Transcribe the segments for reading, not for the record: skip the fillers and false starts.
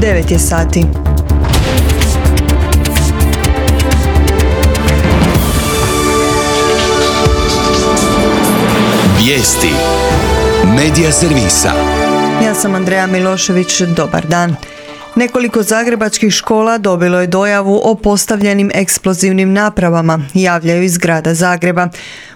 9 je sati. Vijesti Medija servisa. Ja sam Andreja Milošević, dobar dan. Nekoliko zagrebačkih škola dobilo je dojavu o postavljenim eksplozivnim napravama, javljaju iz grada Zagreba.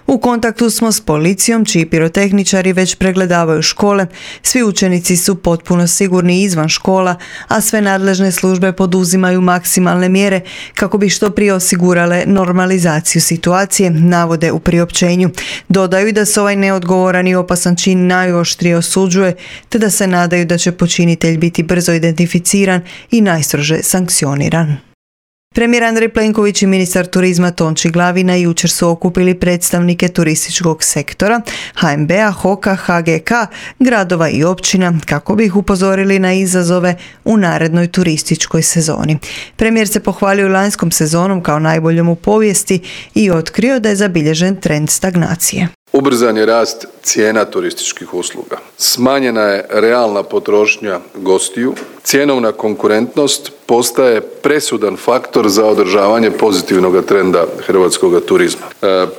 U kontaktu smo s policijom, čiji pirotehničari već pregledavaju škole. Svi učenici su potpuno sigurni izvan škola, a sve nadležne službe poduzimaju maksimalne mjere kako bi što prije osigurale normalizaciju situacije, navode u priopćenju. Dodaju da se ovaj neodgovoran i opasan čin najoštrije osuđuje, te da se nadaju da će počinitelj biti brzo identificiran i najstrože sankcioniran. Premijer Andrej Plenković i ministar turizma Tonči Glavina jučer su okupili predstavnike turističkog sektora, HNB-a, HOK-a, HGK, gradova i općina kako bi ih upozorili na izazove u narednoj turističkoj sezoni. Premijer se pohvalio lanjskom sezonom kao najboljom u povijesti i otkrio da je zabilježen trend stagnacije. Ubrzan je rast cijena turističkih usluga. Smanjena je realna potrošnja gostiju. Cjenovna konkurentnost postaje presudan faktor za održavanje pozitivnog trenda hrvatskog turizma.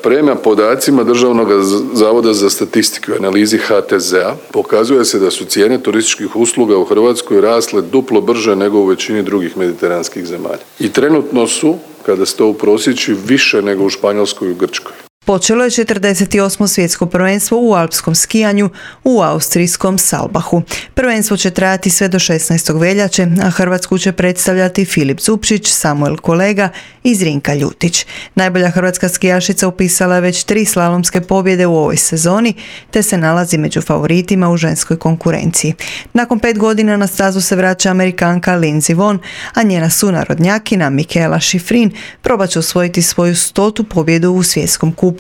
Prema podacima Državnog zavoda za statistiku i analizi HTZ-a pokazuje se da su cijene turističkih usluga u Hrvatskoj rasle duplo brže nego u većini drugih mediteranskih zemalja. I trenutno su, kada se to uprosječi, više nego u Španjolskoj i u Grčkoj. Počelo je 48. svjetsko prvenstvo u alpskom skijanju u austrijskom Salbahu. Prvenstvo će trajati sve do 16. veljače, a Hrvatsku će predstavljati Filip Zupčić, Samuel Kolega i Zrinka Ljutić. Najbolja hrvatska skijašica upisala je već 3 slalomske pobjede u ovoj sezoni, te se nalazi među favoritima u ženskoj konkurenciji. Nakon 5 godina na stazu se vraća Amerikanka Lindsey Vonn, a njena sunarodnjakinja Mikaela Shiffrin probat će osvojiti svoju 100. pobjedu u svjetskom kupu.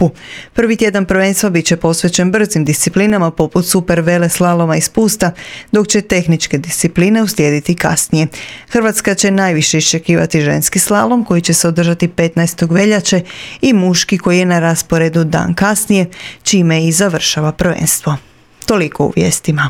Prvi tjedan prvenstva bit će posvećen brzim disciplinama poput super vele slaloma i spusta, dok će tehničke discipline uslijediti kasnije. Hrvatska će najviše iščekivati ženski slalom koji će se održati 15. veljače i muški koji je na rasporedu dan kasnije, čime i završava prvenstvo. Toliko u vijestima.